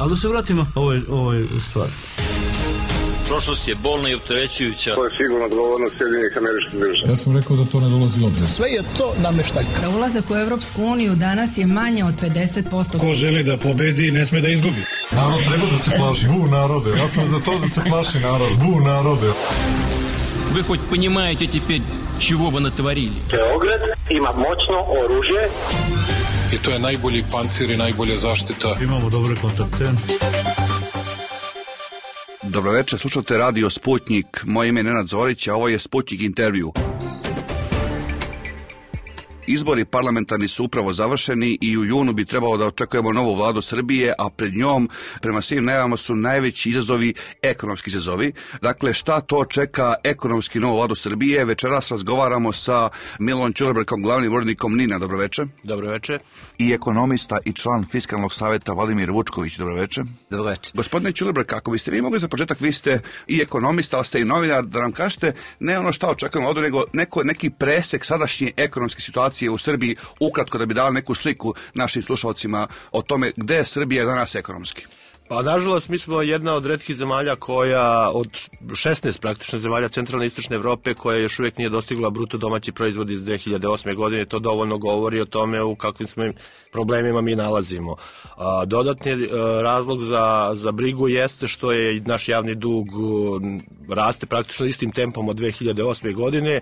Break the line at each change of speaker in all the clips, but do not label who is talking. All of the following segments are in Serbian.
Ali da se vratimo ovoj stvari.
Prošlost je bolna i opterećujuća.
To je sigurno odgovornost Sjedinjenih Američkih Država.
Ja sam rekao da to ne dolazi u obzir.
Sve je to nameštaljka.
Za ulazak u Evropsku uniju danas je manje od 50%.
Ko želi da pobedi, ne sme da izgubi. Narod treba da se plaši. Narode. Ja sam za to da se plaši narod. Narode.
Вы хоть понимаете теперь, чего вы натворили?
Beograd ima moćno oružje.
I to je najbolji pancir i najbolja zaštita.
Imamo dobre kontakte.
Dobro večer, slušate Radio Sputnik. Moje ime je Nenad Zorić, a ovo je Sputnik intervju. Izbori parlamentarni su upravo završeni i u junu bi trebalo da očekujemo novu vladu Srbije, a pred njom, prema svim najavama, su najveći izazovi ekonomski izazovi. Dakle, šta to čeka ekonomski novu vladu Srbije? Večeras razgovaramo sa Milonom Ćulebrkom, glavnim urednikom NIN-a. Dobro večer.
Dobro večer.
I ekonomista i član Fiskalnog saveta Vladimir Vučković. Dobro večer.
Dobro večer.
Gospodine Ćulebrk, ako biste vi mogli za početak, vi ste i ekonomista, ali ste i novinar, da nam kažete ne ono šta očekujemo ovdje, nego neki presek sadašnje ekonomske situacije u Srbiji, ukratko, da bi dali neku sliku našim slušalcima o tome gde je Srbija danas ekonomski.
Pa nažalost, mi smo jedna od retkih zemalja koja, od 16 praktično zemalja centralne i istočne Evrope, koja još uvijek nije dostigla bruto domaći proizvod iz 2008. godine. To dovoljno govori o tome u kakvim smo problemima mi nalazimo. Dodatni razlog za brigu jeste što je naš javni dug raste praktično istim tempom od 2008. godine.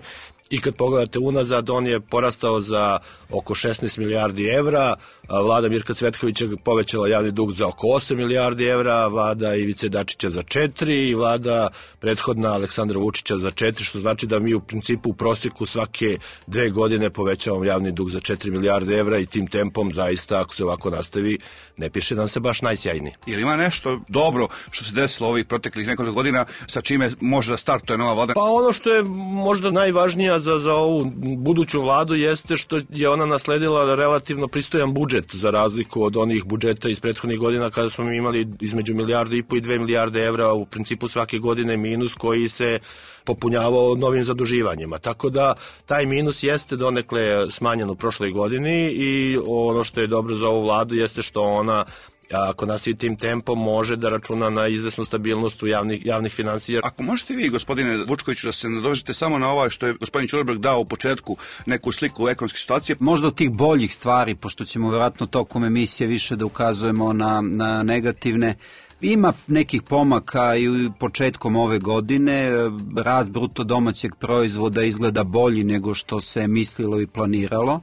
I kad pogledate unazad, on je porastao za oko 16 milijardi evra, vlada Mirka Cvetkovića povećala javni dug za oko 8 milijardi evra, vlada Ivice Dačića za 4 i vlada prethodna Aleksandra Vučića za 4, što znači da mi u principu u prosjeku svake 2 godine povećavamo javni dug za 4 milijarde evra i tim tempom zaista, ako se ovako nastavi, ne piše nam se baš najsjajniji.
Jer ima nešto dobro što se desilo ovih proteklih nekoliko godina, sa čime može da startuje nova vlada?
Pa ono što je možda najvažnija za ovu buduću vladu jeste što je ona nasledila relativno pristojan budžet, za razliku od onih budžeta iz prethodnih godina kada smo imali između 1,5 milijarde i 2 milijarde evra u principu svake godine minus koji se popunjavao novim zaduživanjima. Tako da taj minus jeste donekle smanjen u prošloj godini i ono što je dobro za ovu vladu jeste što ona, ako nastavi tim tempom, može da računa na izvesnu stabilnost u javnih finansija.
Ako možete vi, gospodine Vučkoviću, da se nadovežete samo na ovo što je gospodin Ćulebrk dao u početku, neku sliku ekonomske situacije.
Možda od tih boljih stvari, pošto ćemo vjerojatno tokom emisije više da ukazujemo na negativne. Ima nekih pomaka i početkom ove godine. Rast bruto domaćeg proizvoda izgleda bolji nego što se mislilo i planiralo.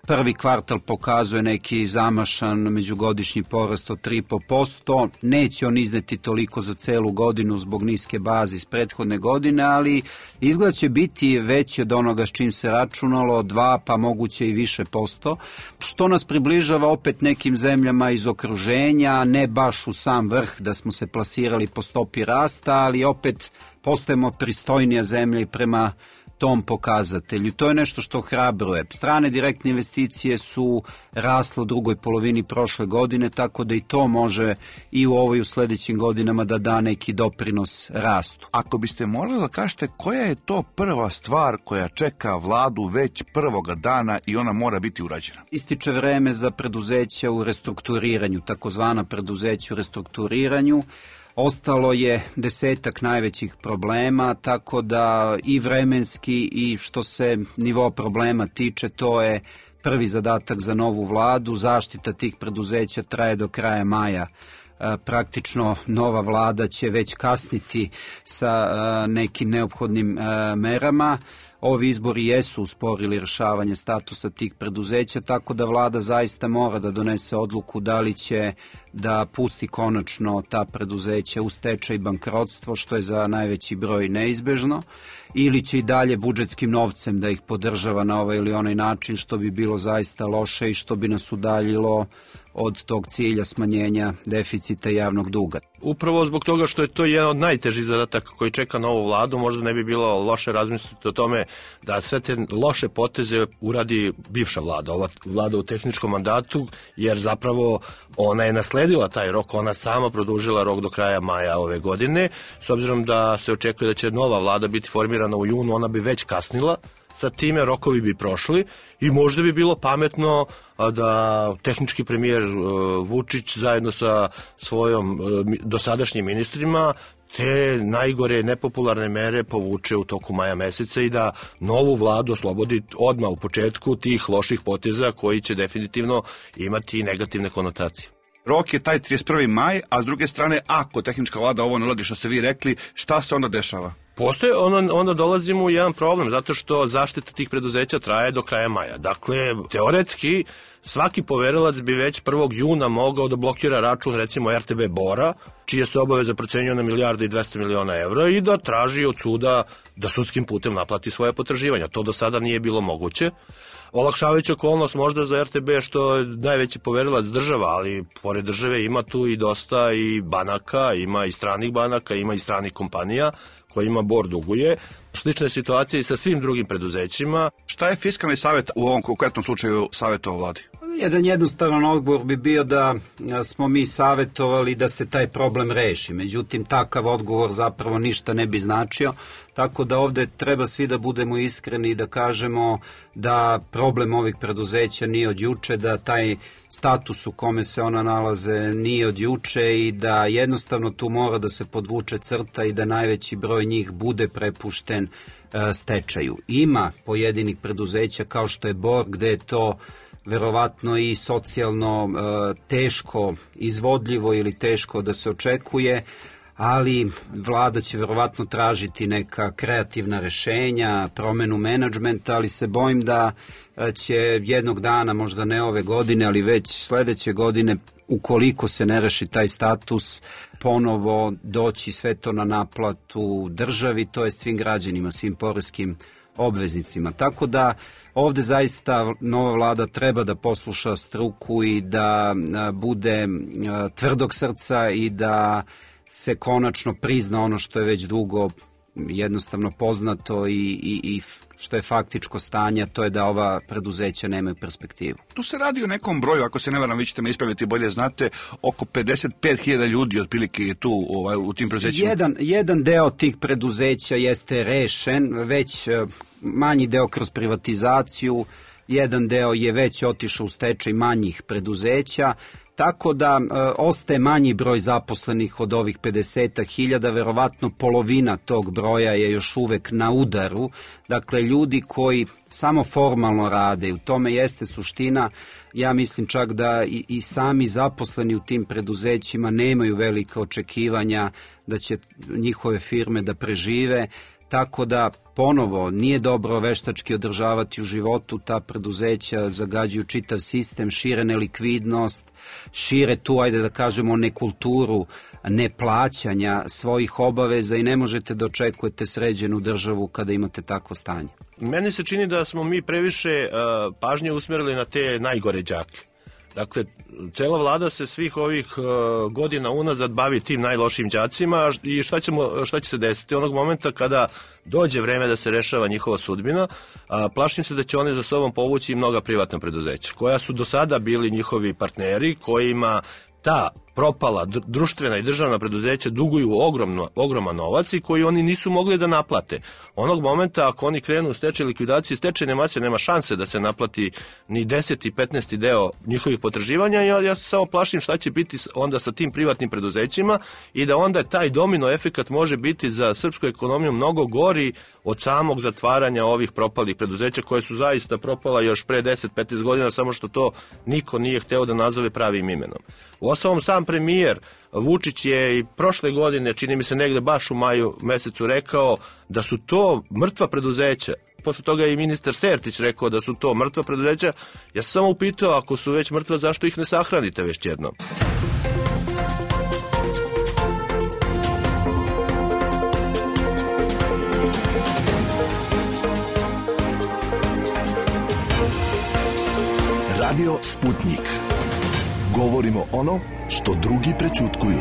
Prvi kvartal pokazuje neki zamašan međugodišnji porast od 3,5%. Neće on izneti toliko za celu godinu zbog niske baze iz prethodne godine, ali izgleda će biti veći od onoga s čim se računalo, 2 pa moguće i više posto, što nas približava opet nekim zemljama iz okruženja, ne baš u sam vrh da smo se plasirali po stopi rasta, ali opet postajemo pristojnija zemlja i prema tom pokazatelju. To je nešto što hrabruje. Strane direktne investicije su rasle u drugoj polovini prošle godine, tako da i to može i u ovoj u sljedećim godinama da da neki doprinos rastu.
Ako biste morali da kažete koja je to prva stvar koja čeka vladu već prvoga dana i ona mora biti urađena?
Ističe vreme za preduzeća u restrukturiranju, takozvana preduzeća u restrukturiranju. Ostalo je 10 najvećih problema, tako da i vremenski i što se nivo problema tiče, to je prvi zadatak za novu vladu. Zaštita tih preduzeća traje do kraja maja. Praktično nova vlada će već kasniti sa nekim neophodnim merama. Ovi izbori jesu usporili rješavanje statusa tih preduzeća, tako da vlada zaista mora da donese odluku da li će da pusti konačno ta preduzeća u stečaj i bankrotstvo, što je za najveći broj neizbežno, ili će i dalje budžetskim novcem da ih podržava na ovaj ili onaj način, što bi bilo zaista loše i što bi nas udaljilo od tog cilja smanjenja deficita javnog duga.
Upravo zbog toga što je to jedan od najtežih zadataka koji čeka novu vladu, možda ne bi bilo loše razmisliti o tome da sve te loše poteze uradi bivša vlada, ova vlada u tehničkom mandatu, jer zapravo ona je nasledila taj rok, ona sama produžila rok do kraja maja ove godine. S obzirom da se očekuje da će nova vlada biti formirana u junu, ona bi već kasnila sa time rokovi bi prošli i možda bi bilo pametno da tehnički premijer Vučić zajedno sa svojom dosadašnjim ministrima te najgore nepopularne mere povuče u toku maja meseca i da novu vladu oslobodi odmah u početku tih loših poteza koji će definitivno imati negativne konotacije.
Rok je taj 31. maj, a s druge strane, ako tehnička vlada ovo ne uradi što ste vi rekli, šta se onda dešava?
Postoje, onda dolazimo u jedan problem, zato što zaštita tih preduzeća traje do kraja maja. Dakle, teoretski, svaki poverilac bi već 1. juna mogao da blokira račun, recimo RTB Bora, čije se obaveze procenjuju na 1.2 milijarde evra i da traži od suda da sudskim putem naplati svoje potraživanja. To do sada nije bilo moguće. Olakšavajuća okolnost možda za RTB što je najveći poverilac država, ali pored države ima tu i dosta i banaka, ima i stranih banaka, ima i stranih kompanija kojima Bor duguje. Slična je situacija i sa svim drugim preduzećima.
Šta je Fiskalni savjet u ovom konkretnom slučaju savjetovao vladi?
Jedan jednostavan odgovor bi bio da smo mi savjetovali da se taj problem reši. Međutim, takav odgovor zapravo ništa ne bi značio. Tako da ovde treba svi da budemo iskreni i da kažemo da problem ovih preduzeća nije od juče, da taj status u kome se ona nalaze nije od juče i da jednostavno tu mora da se podvuče crta i da najveći broj njih bude prepušten stečaju. Ima pojedinih preduzeća kao što je Bor, gde je to verovatno i socijalno teško izvodljivo ili teško da se očekuje, ali vlada će verovatno tražiti neka kreativna rešenja, promenu menadžmenta, ali se bojim da će jednog dana, možda ne ove godine, ali već sledeće godine, ukoliko se ne reši taj status, ponovo doći sve to na naplatu državi, to je svim građanima, svim poreskim obveznicima. Tako da ovde zaista nova vlada treba da posluša struku i da bude tvrdog srca i da se konačno prizna ono što je već dugo jednostavno poznato i što je faktičko stanje, to je da ova preduzeća nemaju perspektivu.
Tu se radi o nekom broju, ako se ne varam, vi ćete me ispraviti, bolje znate, oko 55.000 ljudi otprilike je tu u tim preduzećima.
Jedan deo tih preduzeća jeste rešen, već manji deo kroz privatizaciju, jedan deo je već otišao u stečaj manjih preduzeća, tako da ostaje manji broj zaposlenih od ovih 50.000, verovatno polovina tog broja je još uvek na udaru, dakle ljudi koji samo formalno rade, u tome jeste suština. Ja mislim čak da i sami zaposleni u tim preduzećima nemaju velika očekivanja da će njihove firme da prežive, tako da ponovo nije dobro veštački održavati u životu ta preduzeća, zagađuju čitav sistem, šire nelikvidnost, šire tu, ajde da kažemo, nekulturu neplaćanja svojih obaveza i ne možete da očekujete sređenu državu kada imate takvo stanje.
Meni se čini da smo mi previše pažnje usmerili na te najgore đake. Dakle, cela vlada se svih ovih godina unazad bavi tim najlošim đacima i šta će se desiti onog momenta kada dođe vreme da se rešava njihova sudbina, plašim se da će one za sobom povući i mnoga privatna preduzeća, koja su do sada bili njihovi partneri, kojima ta propala društvena i državna preduzeća duguju ogroman novac i koji oni nisu mogli da naplate. Onog momenta ako oni krenu u stečaj likvidaciji, stečajne mase nema šanse da se naplati ni 10. i 15. deo njihovih potraživanja. Ja se samo plašim šta će biti onda sa tim privatnim preduzećima i da onda taj domino efekat može biti za srpsku ekonomiju mnogo gori od samog zatvaranja ovih propalih preduzeća koje su zaista propala još pre 10-15 godina, samo što to niko nije hteo da nazove pravim imenom. Uostalom, sam premijer Vučić je i prošle godine, čini mi se negde baš u maju mesecu, rekao da su to mrtva preduzeća. Posle toga je i ministar Sertić rekao da su to mrtva preduzeća. Ja sam samo upitao, ako su već mrtva, zašto ih ne sahranite već jednom?
Radio Sputnik. Govorimo ono što drugi prećutkuju.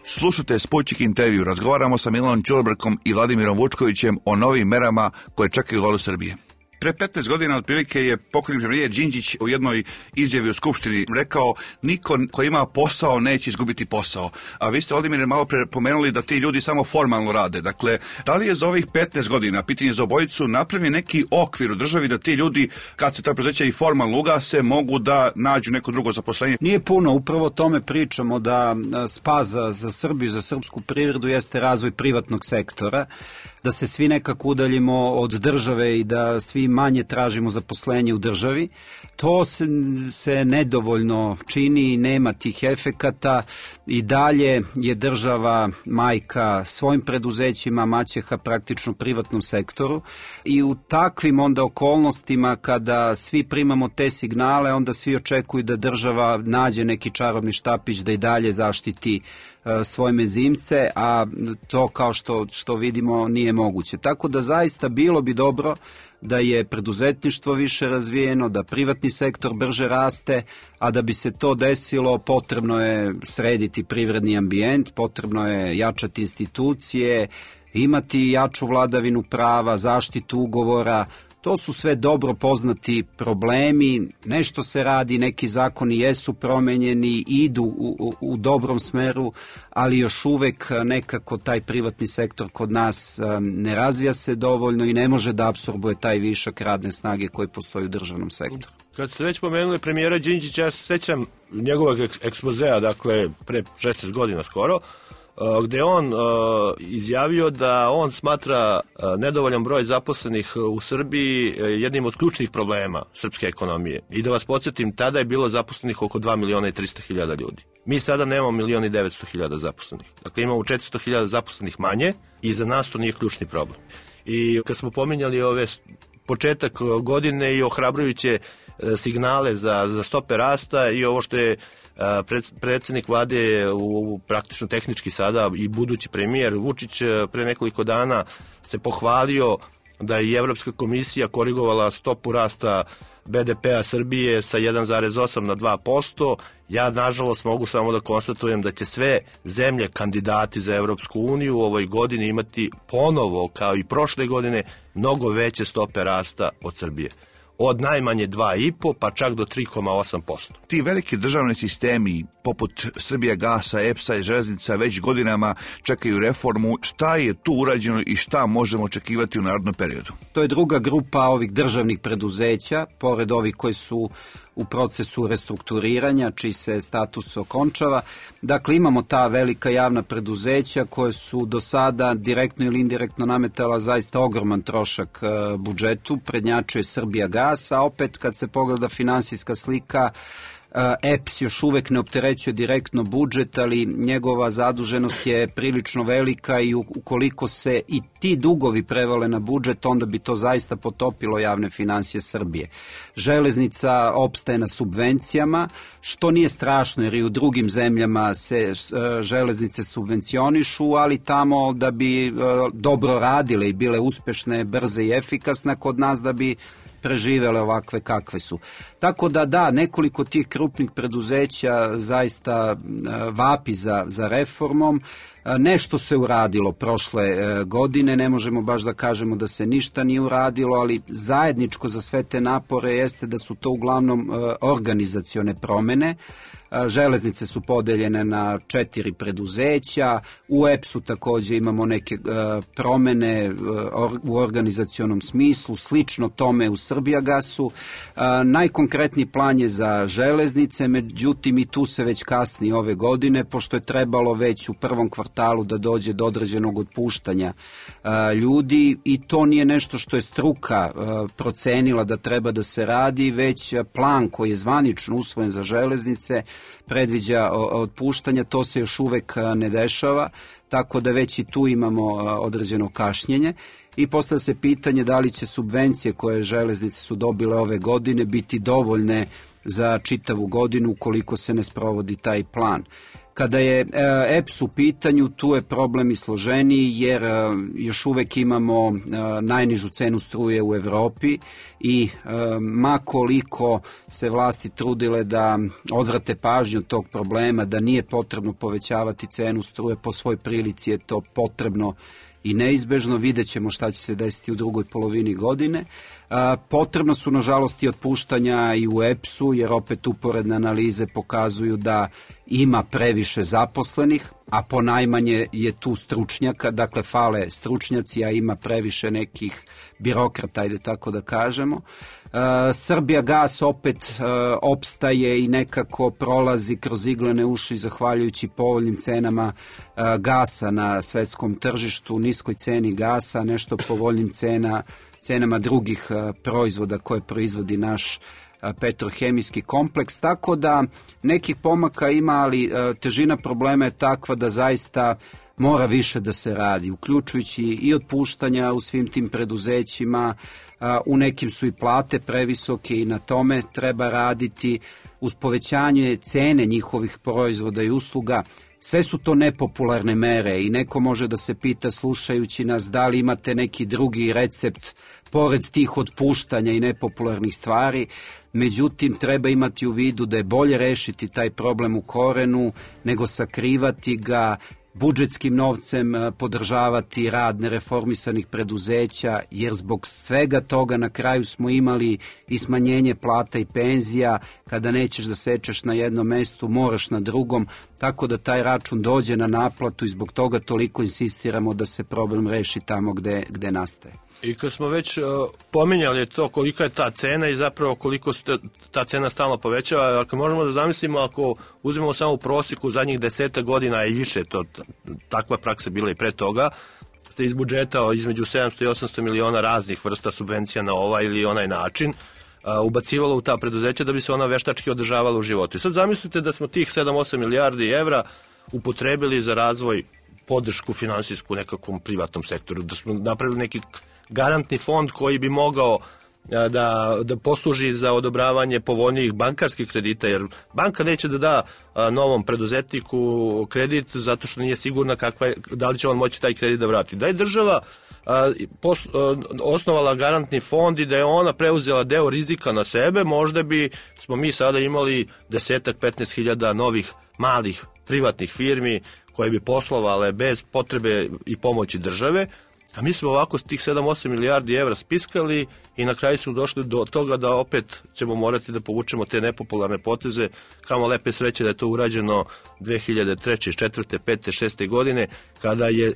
Slušajte Sputnik intervju. Razgovaramo sa Milanom Ćulibrkom i Vladimirom Vučkovićem o novim merama koje čekaju vladu Srbije. Pre 15 godina otprilike je pokojni premijer Đinđić u jednoj izjavi u Skupštini rekao: niko ko ima posao neće izgubiti posao. A vi ste, Vladimire, malo pre pomenuli da ti ljudi samo formalno rade. Dakle, da li je za ovih 15 godina, pitanje za obojicu, napravljen neki okvir u državi da ti ljudi, kad se ta preduzeća i formalno ugase, mogu da nađu neko drugo zaposlenje?
Nije puno, upravo o tome pričamo, da spas za Srbiju, za srpsku privredu jeste razvoj privatnog sektora, da se svi nekako udaljimo od države i da svi manje tražimo zaposlenje u državi. To se nedovoljno čini i nema tih efekata. I dalje je država majka svojim preduzećima, maćeha praktično privatnom sektoru, i u takvim onda okolnostima kada svi primamo te signale, onda svi očekuju da država nađe neki čarobni štapić da i dalje zaštiti svoje mezimce, a to, kao što vidimo, nije moguće. Tako da zaista bilo bi dobro da je preduzetništvo više razvijeno, da privatni sektor brže raste, a da bi se to desilo potrebno je srediti privredni ambijent, potrebno je jačati institucije, imati jaču vladavinu prava, zaštitu ugovora. To su sve dobro poznati problemi, nešto se radi, neki zakoni jesu promenjeni, idu u dobrom smeru, ali još uvek nekako taj privatni sektor kod nas ne razvija se dovoljno i ne može da apsorbuje taj višak radne snage koji postoji u državnom sektoru.
Kad ste već pomenuli premijera Đinđića, ja se sećam njegovog ekspozea, dakle pre 16 godina skoro, gde on izjavio da on smatra nedovoljan broj zaposlenih u Srbiji jednim od ključnih problema srpske ekonomije. I da vas podsjetim, tada je bilo zaposlenih oko 2.300.000 ljudi. Mi sada nemamo 1.900.000 zaposlenih. Dakle, imamo 400.000 zaposlenih manje i za nas to nije ključni problem. I kad smo pominjali ove početak godine i ohrabrujuće signale za stope rasta i ovo što je predsjednik vlade praktično tehnički sada i budući premijer Vučić pre nekoliko dana se pohvalio da je Evropska komisija korigovala stopu rasta BDP-a Srbije sa 1,8 na 2%. Ja, nažalost, mogu samo da konstatujem da će sve zemlje kandidati za Evropsku uniju u ovoj godini imati ponovo, kao i prošle godine, mnogo veće stope rasta od Srbije. Od najmanje 2,5 pa čak do 3,8%.
Ti veliki državni sistemi poput Srbijagasa, EPS-a i železnica već godinama čekaju reformu. Šta je tu urađeno i šta možemo očekivati u narednom periodu?
To je druga grupa ovih državnih preduzeća, pored ovih koji su u procesu restrukturiranja, čiji se status okončava. Dakle, imamo ta velika javna preduzeća koje su do sada direktno ili indirektno nametala zaista ogroman trošak budžetu, prednjačuje Srbijagas, a opet kad se pogleda finansijska slika, EPS još uvek ne opterećuje direktno budžet, ali njegova zaduženost je prilično velika i ukoliko se i ti dugovi prevale na budžet, onda bi to zaista potopilo javne finansije Srbije. Železnica opstaje na subvencijama, što nije strašno jer i u drugim zemljama se železnice subvencionišu, ali tamo da bi dobro radile i bile uspešne, brze i efikasne, kod nas da bi preživele ovakve kakve su. Tako da, nekoliko tih krupnih preduzeća zaista vapi za reformom. Nešto se uradilo prošle godine, ne možemo baš da kažemo da se ništa nije uradilo, ali zajedničko za sve te napore jeste da su to uglavnom organizacione promene. Železnice su podeljene na 4 preduzeća, u EPS-u takođe imamo neke promene u organizacionom smislu, slično tome u Srbijagasu. Najkonkretniji plan je za železnice, međutim i tu se već kasni ove godine, pošto je trebalo već u prvom kvartalu da dođe do određenog otpuštanja ljudi i to nije nešto što je struka procenila da treba da se radi, već plan koji je zvanično usvojen za železnice predviđa otpuštanja, to se još uvek ne dešava, tako da već i tu imamo određeno kašnjenje i postavlja se pitanje da li će subvencije koje železnice su dobile ove godine biti dovoljne za čitavu godinu ukoliko se ne sprovodi taj plan. Kada je EPS u pitanju, tu je problem i složeniji jer još uvek imamo najnižu cenu struje u Evropi i ma koliko se vlasti trudile da odvrate pažnju od tog problema, da nije potrebno povećavati cenu struje, po svoj prilici je to potrebno i neizbežno, vidjet ćemo šta će se desiti u drugoj polovini godine. Potrebno su, nažalost, i otpuštanja i u EPS-u, jer opet uporedne analize pokazuju da ima previše zaposlenih, a ponajmanje je tu stručnjaka, dakle fale stručnjaci, a ima previše nekih birokrata, ajde tako da kažemo. Srbijagas opet opstaje i nekako prolazi kroz iglene uši zahvaljujući povoljnim cenama gasa na svetskom tržištu, niskoj ceni gasa, nešto povoljnim cenama drugih proizvoda koje proizvodi naš petrohemijski kompleks, tako da nekih pomaka ima, ali težina problema je takva da zaista mora više da se radi, uključujući i otpuštanja u svim tim preduzećima, u nekim su i plate previsoke i na tome treba raditi, uz povećanje cene njihovih proizvoda i usluga. Sve su to nepopularne mere i neko može da se pita, slušajući nas, da li imate neki drugi recept pored tih otpuštanja i nepopularnih stvari. Međutim, treba imati u vidu da je bolje rešiti taj problem u korenu nego sakrivati ga, budžetskim novcem podržavati rad nereformisanih preduzeća, jer zbog svega toga na kraju smo imali i smanjenje plata i penzija. Kada nećeš da sečeš na jednom mestu, moraš na drugom, tako da taj račun dođe na naplatu i zbog toga toliko insistiramo da se problem reši tamo gde nastaje.
I kad smo već pominjali to kolika je ta cena i zapravo koliko se ta cena stalno povećava, ako možemo da zamislimo, ako uzmemo samo u prosjeku zadnjih 10 godina i više, to takva praksa bila i pre toga, se iz budžeta između 700 i 800 miliona raznih vrsta subvencija na ovaj ili onaj način ubacivalo u ta preduzeća da bi se ona veštački održavala u životu. I sad zamislite da smo tih 7-8 milijardi evra upotrebili za razvoj, podršku finansijsku nekakvom privatnom sektoru, da smo napravili neki garantni fond koji bi mogao da posluži za odobravanje povoljnijih bankarskih kredita, jer banka neće da da novom preduzetniku kredit zato što nije sigurna da li će on moći taj kredit da vrati. Da je država osnovala garantni fond i da je ona preuzela deo rizika na sebe, možda bi smo mi sada imali 10-15 hiljada novih malih privatnih firmi koje bi poslovale bez potrebe i pomoći države. A mi smo ovako tih 7-8 milijardi evra spiskali i na kraju smo došli do toga da opet ćemo morati da povučemo te nepopularne poteze. Kamo lepe sreće da je to urađeno 2003. 4. 5. 6. godine, kada je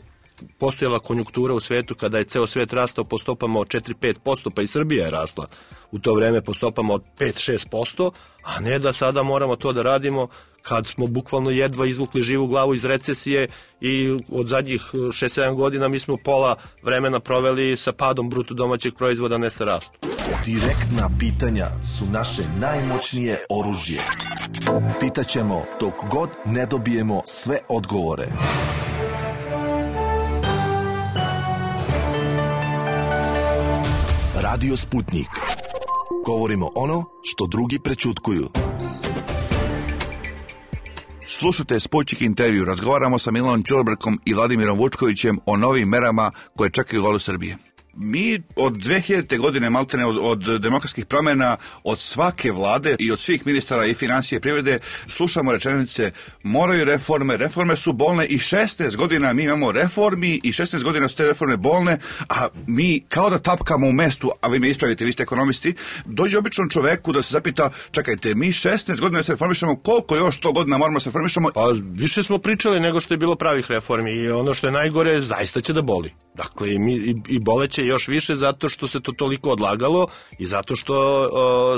postojala konjunktura u svetu, kada je ceo svet rastao po stopama od 4-5%, pa i Srbija je rasla u to vreme po stopama od 5-6%, a ne da sada moramo to da radimo kad smo bukvalno jedva izvukli živu glavu iz recesije i od zadnjih 6-7 godina mi smo pola vremena proveli sa padom bruto domaćeg proizvoda, ne sa rastom.
Direktna pitanja su naše najmoćnije oružje. Pitaćemo dok god ne dobijemo sve odgovore. Radio Sputnik. Govorimo ono što drugi prećutkuju.
Slušajte Sputnik intervju. Razgovaramo sa Milanom Ćulibrkom i Vladimirom Vučkovićem o novim merama koje čekaju vladu Srbije. Mi od 2000. godine, maltene od demokratskih promjena, od svake vlade i od svih ministara i financije i privrede, slušamo rečenice moraju reforme su bolne i 16 godina mi imamo reformi i 16 godina su te reforme bolne, a mi kao da tapkamo u mestu, a vi me ispravite, vi ste ekonomisti, dođe običnom čoveku da se zapita, čekajte, mi 16 godina se reformišemo, koliko još 100 godina moramo se reformišemo?
Pa više smo pričali nego što je bilo pravih reformi i ono što je najgore, zaista će da boli. Dakle, i boleće još više zato što se to toliko odlagalo i zato što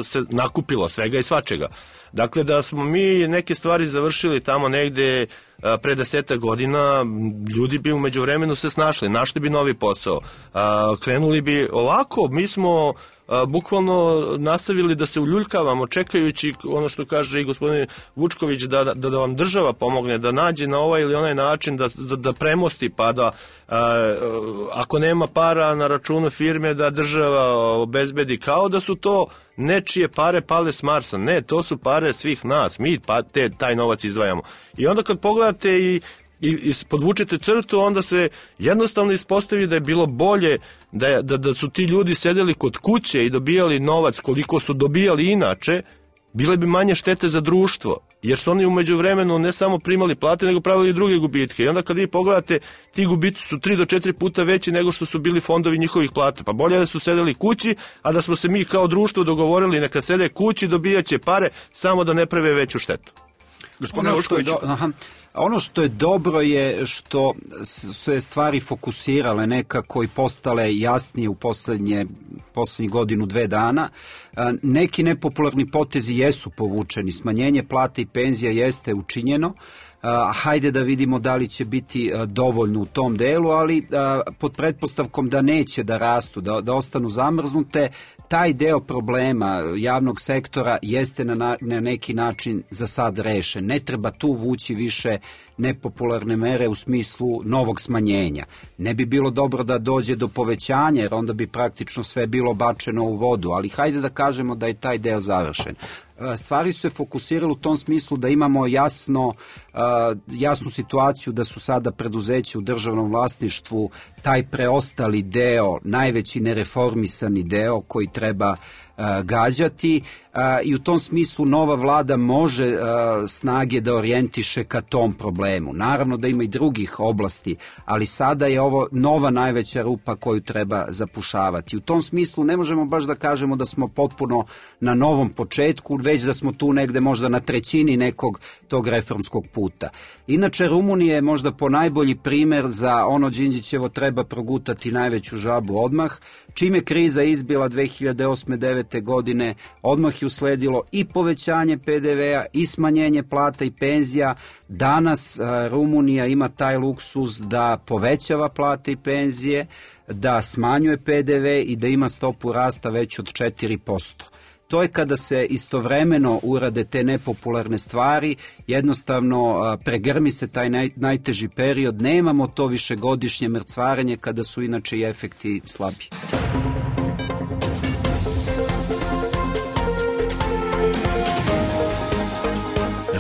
se nakupilo svega i svačega. Dakle, da smo mi neke stvari završili tamo negde pre 10 godina, ljudi bi umeđu vremenu se snašli, našli bi novi posao, krenuli bi ovako, mi smo bukvalno nastavili da se uljuljkavamo čekajući ono što kaže i gospodin Vučković da vam država pomogne, da nađe na ovaj ili onaj način da premosti, pa da ako nema para na računu firme da država obezbedi, kao da su to nečije pare pale s Marsa. Ne, to su pare svih nas, mi taj novac izdvajamo. I onda kad pogledate i podvučete crtu, onda se jednostavno ispostavi da je bilo bolje da su ti ljudi sedeli kod kuće i dobijali novac koliko su dobijali inače, bile bi manje štete za društvo. jer su oni u međuvremenu ne samo primali plate, nego pravili i druge gubitke. I onda kad vi pogledate, ti gubici su 3 do 4 puta veći nego što su bili fondovi njihovih plata. Pa bolje da su sedeli kući, a da smo se mi kao društvo dogovorili neka sede kući, dobijaće pare, samo da ne prave veću štetu.
Ono što je dobro je što su je stvari fokusirale nekako i postale jasnije u posljednjih godinu, 2 dana. Neki nepopularni potezi jesu povučeni, smanjenje plate i penzija jeste učinjeno. Hajde da vidimo da li će biti dovoljno u tom delu, ali pod pretpostavkom da neće da rastu, da ostanu zamrznute, taj deo problema javnog sektora jeste na neki način za sad rešen. Ne treba tu vući više nepopularne mere u smislu novog smanjenja. Ne bi bilo dobro da dođe do povećanja, jer onda bi praktično sve bilo bačeno u vodu, ali hajde da kažemo da je taj deo završen. Stvari su se fokusirale u tom smislu da imamo jasnu situaciju da su sada preduzeća u državnom vlasništvu taj preostali deo, najveći nereformisani deo koji treba gađati i u tom smislu nova vlada može snage da orijentiše ka tom problemu. Naravno da ima i drugih oblasti, ali sada je ovo nova najveća rupa koju treba zapušavati. U tom smislu ne možemo baš da kažemo da smo potpuno na novom početku, već da smo tu negde možda na trećini nekog tog reformskog puta. Inače, Rumunija je možda ponajbolji primer za ono Đinđićevo treba progutati najveću žabu odmah. Čim je kriza izbila 2008-2009. godine, odmah je usledilo i povećanje PDV-a i smanjenje plata i penzija. Danas Rumunija ima taj luksuz da povećava plate i penzije, da smanjuje PDV i da ima stopu rasta već od 4%. To je kada se istovremeno urade te nepopularne stvari, jednostavno pregrmi se taj najteži period, nemamo to višegodišnje mrcvarenje kada su inače i efekti slabi.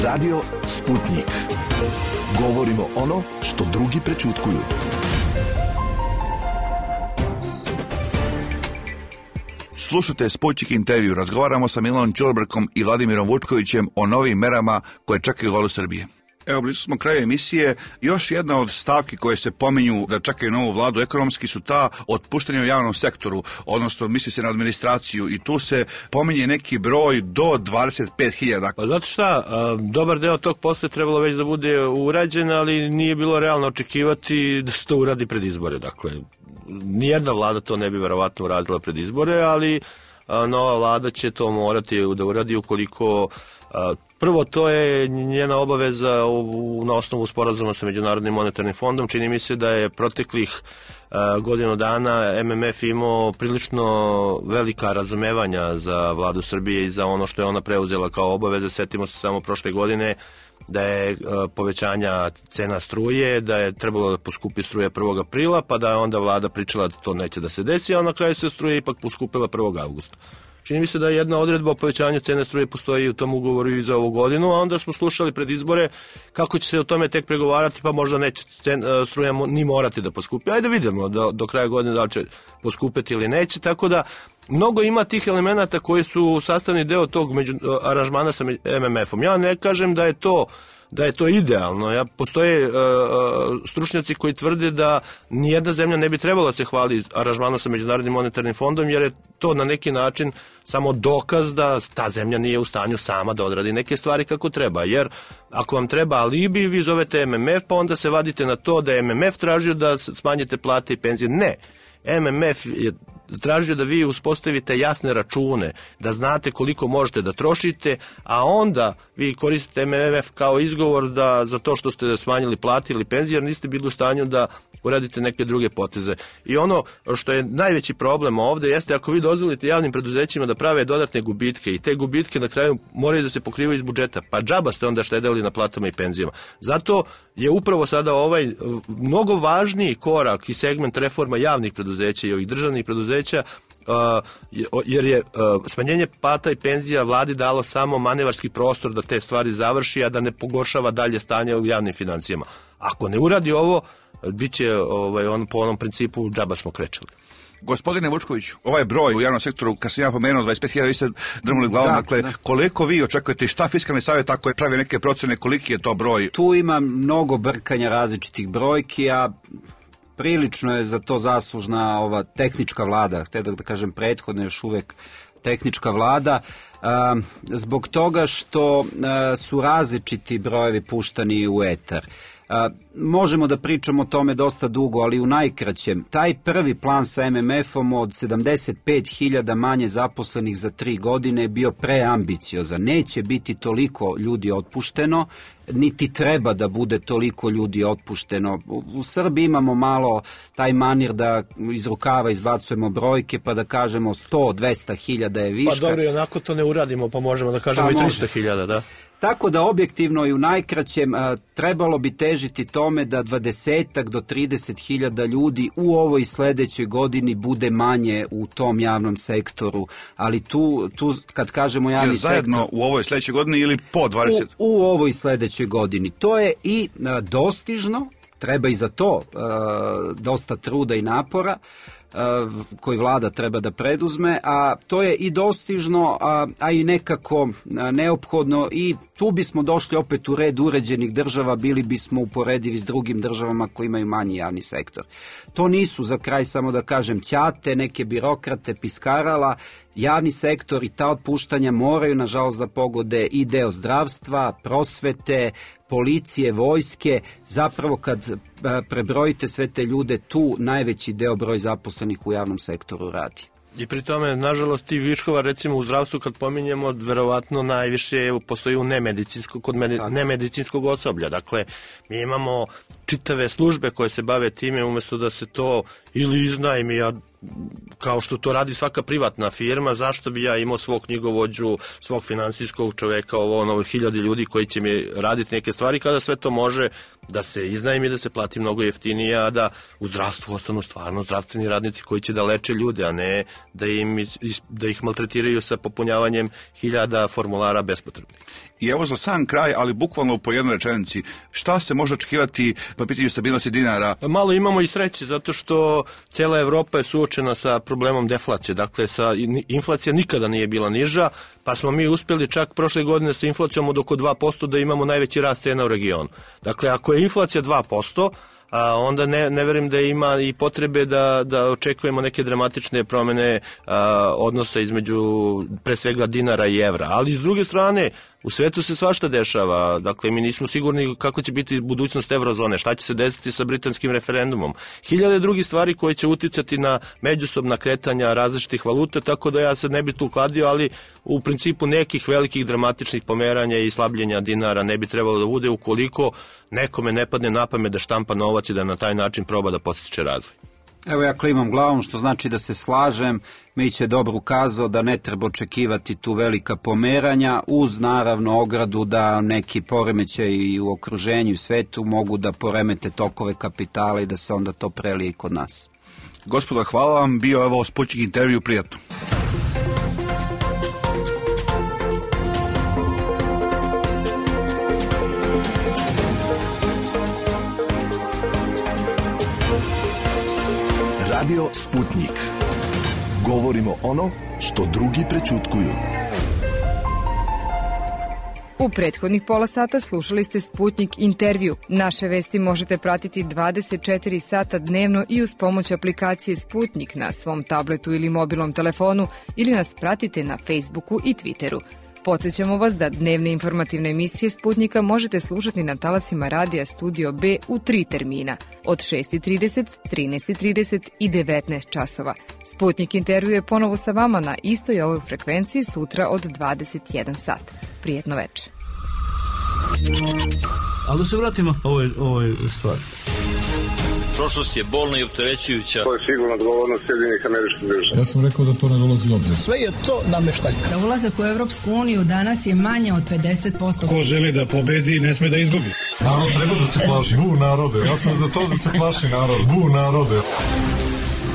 Radio Sputnik. Govorimo ono što drugi prećutkuju.
Slušate Sputnik intervju. Razgovaramo sa Milanom Ćulibrkom i Vladimirom Vučkovićem o novim merama koje čekaju vladu Srbije. Evo, blizu smo kraju emisije. Još jedna od stavki koje se pominju da čekaju novu vladu ekonomski su ta otpuštanja u javnom sektoru, odnosno misli se na administraciju i tu se pominje neki broj do 25.000.
Pa znate šta, dobar deo tog posle trebalo već da bude urađen, ali nije bilo realno očekivati da se to uradi pred izbore. Dakle, nijedna vlada to ne bi verovatno uradila pred izbore, ali nova vlada će to morati da uradi ukoliko... Prvo, to je njena obaveza na osnovu sporazuma sa Međunarodnim monetarnim fondom. Čini mi se da je proteklih godinu dana MMF imao prilično velika razumevanja za vladu Srbije i za ono što je ona preuzela kao obaveze. Setimo se samo prošle godine da je povećanja cena struje, da je trebalo da poskupi struje 1. aprila, pa da je onda vlada pričala da to neće da se desi, a na kraju se struje ipak poskupila 1. augusta. Čini mi se da jedna odredba o povećanju cene struje postoji u tom ugovoru i za ovu godinu, a onda smo slušali pred izbore kako će se o tome tek pregovarati, pa možda neće struja ni morati da poskupi. Ajde vidimo do kraja godine da li će poskupiti ili neće, tako da mnogo ima tih elemenata koji su sastavni deo tog aranžmana sa MMF-om. Ja ne kažem da je to idealno. Postoje stručnjaci koji tvrde da nijedna zemlja ne bi trebala se hvali aranžmanom sa Međunarodnim monetarnim fondom, jer je to na neki način samo dokaz da ta zemlja nije u stanju sama da odradi neke stvari kako treba. Jer ako vam treba alibi, vi zovete MMF, pa onda se vadite na to da je MMF tražio da smanjite plate i penzije. Ne. MMF je tražio da vi uspostavite jasne račune, da znate koliko možete da trošite, a onda vi koristite MMF kao izgovor za to što ste smanjili plate ili penzije, jer niste bili u stanju da uradite neke druge poteze. I ono što je najveći problem ovde jeste ako vi dozvolite javnim preduzećima da prave dodatne gubitke i te gubitke na kraju moraju da se pokrivaju iz budžeta, pa džaba ste onda štedeli na platama i penzijama. Zato je upravo sada ovaj mnogo važniji korak i segment reforma javnih preduzeća i ovih državnih preduzeća, jer je smanjenje plata i penzija vladi dalo samo manevarski prostor da te stvari završi, a da ne pogoršava dalje stanje u javnim financijama. Ako ne uradi ovo, bit će on po onom principu džaba smo krečali.
Gospodine Vučkoviću, ovaj broj u javnom sektoru, kad sam ja pomenuo 25.000, vi ste drmuli glavom, dakle, koliko vi očekujete i šta Fiskalni savjet ako je pravi neke procene, koliki je to broj?
Tu ima mnogo brkanja različitih brojki, a prilično je za to zaslužna ova tehnička vlada, htio da kažem prethodno još uvek tehnička vlada, zbog toga što su različiti brojevi puštani u etar. Možemo da pričamo o tome dosta dugo, ali u najkraćem, taj prvi plan sa MMF-om od 75.000 manje zaposlenih za 3 godine je bio preambiciozan. Neće biti toliko ljudi otpušteno, niti treba da bude toliko ljudi otpušteno. U Srbiji imamo malo taj manir da iz rukava izbacujemo brojke pa da kažemo 100-200.000 je viška.
Pa dobro, i onako to ne uradimo, pa možemo da kažemo i 300.000, da.
Tako da objektivno i u najkraćem trebalo bi težiti tome da 20 do 30.000 ljudi u ovoj sledećoj godini bude manje u tom javnom sektoru, ali tu kad kažemo javni sektor...
Zajedno u ovoj sledećoj godini ili po 20?
U ovoj sledećoj godini. To je i dostižno, treba i za to dosta truda i napora, koji vlada treba da preduzme, a to je i dostižno, a i nekako neophodno i tu bismo došli opet u red uređenih država, bili bismo uporedivi s drugim državama koji imaju manji javni sektor. To nisu, za kraj samo da kažem, ćate, neke birokrate, piskarala, javni sektor i ta otpuštanja moraju nažalost da pogode i deo zdravstva, prosvete, policije, vojske, zapravo kad prebrojite sve te ljude, tu najveći deo broj zaposlenih u javnom sektoru radi.
I pri tome, nažalost, ti viškova, recimo u zdravstvu, kad pominjemo, verovatno najviše postoji u kod nemedicinskog osoblja. Dakle, mi imamo čitave službe koje se bave time, umjesto da se to ili iznajmi, kao što to radi svaka privatna firma, zašto bi ja imao svog knjigovođu, svog finansijskog čoveka, ovo 1000 ljudi koji će mi raditi neke stvari, kada sve to može da se iznajmi, da se plati mnogo jeftinije, a da u zdravstvu ostanu stvarno zdravstveni radnici koji će da leče ljude, a ne da ih maltretiraju sa popunjavanjem 1000 formulara bespotrebnih.
I evo za sam kraj, ali bukvalno po jednoj rečenici, šta se može očekivati po pitanju stabilnosti dinara?
Malo imamo i sreće, zato što cijela Evropa je suočena sa problemom deflacije. Dakle, inflacija nikada nije bila niža, pa smo mi uspjeli čak prošle godine sa inflacijom od oko 2% da imamo najveći rast cena u regionu. Dakle, ako je inflacija 2%, onda ne verujem da ima i potrebe da očekujemo neke dramatične promjene odnosa između pre svega dinara i evra. Ali s druge strane, u svetu se svašta dešava. Dakle, mi nismo sigurni kako će biti budućnost eurozone, šta će se desiti sa britanskim referendumom. 1000 drugih stvari koje će uticati na međusobna kretanja različitih valuta, tako da ja se ne bi tu kladio, ali u principu nekih velikih dramatičnih pomeranja i slabljenja dinara ne bi trebalo da bude ukoliko nekome ne padne na pamet da štampa novac i da na taj način proba da podstiče razvoj.
Evo ja klimam glavom, što znači da se slažem. Mić je dobro ukazao da ne treba očekivati tu velika pomeranja, uz naravno ogradu da neki poremećaji u okruženju i svetu mogu da poremete tokove kapitala i da se onda to prelije i kod nas.
Gospodo, hvala vam, bio evo Sputnik intervju, prijatno.
Radio Sputnik. Govorimo ono što drugi prećutkuju.
U prethodnih pola sata slušali ste Sputnik intervju. Naše vesti možete pratiti 24 sata dnevno i uz pomoć aplikacije Sputnik na svom tabletu ili mobilnom telefonu ili nas pratite na Facebooku i Twitteru. Podsjećamo vas da dnevne informativne emisije Sputnika možete slušati na talasima radija Studio B u 3 termina, od 6:30, 13:30 i 19 časova. Sputnik intervju je ponovo sa vama na istoj ovoj frekvenciji sutra od 21 sat. Prijetno večer.
Ali da se vratimo ovoj stvari.
Prošlost je bolna i opterećujuća.
To je sigurno odgovornost Sjedinjenih Američkih Država.
Ja sam rekao da to ne dolazi u obzir.
Sve je to nameštaljka. Za ulazak u Evropsku uniju danas je manje od 50%.
Ko želi da pobedi, ne sme da izgubi. Narod treba da se plaši. Bu narode. Ja sam za to da se plaši narod. Bu narode.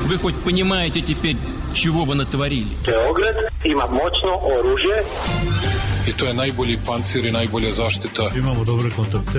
Вы хоть понимаете теперь, чего вы натворили?
Beograd ima moćno oružje.
I to je najbolji pancir i najbolja zaštita.
Imamo dobre kontakte.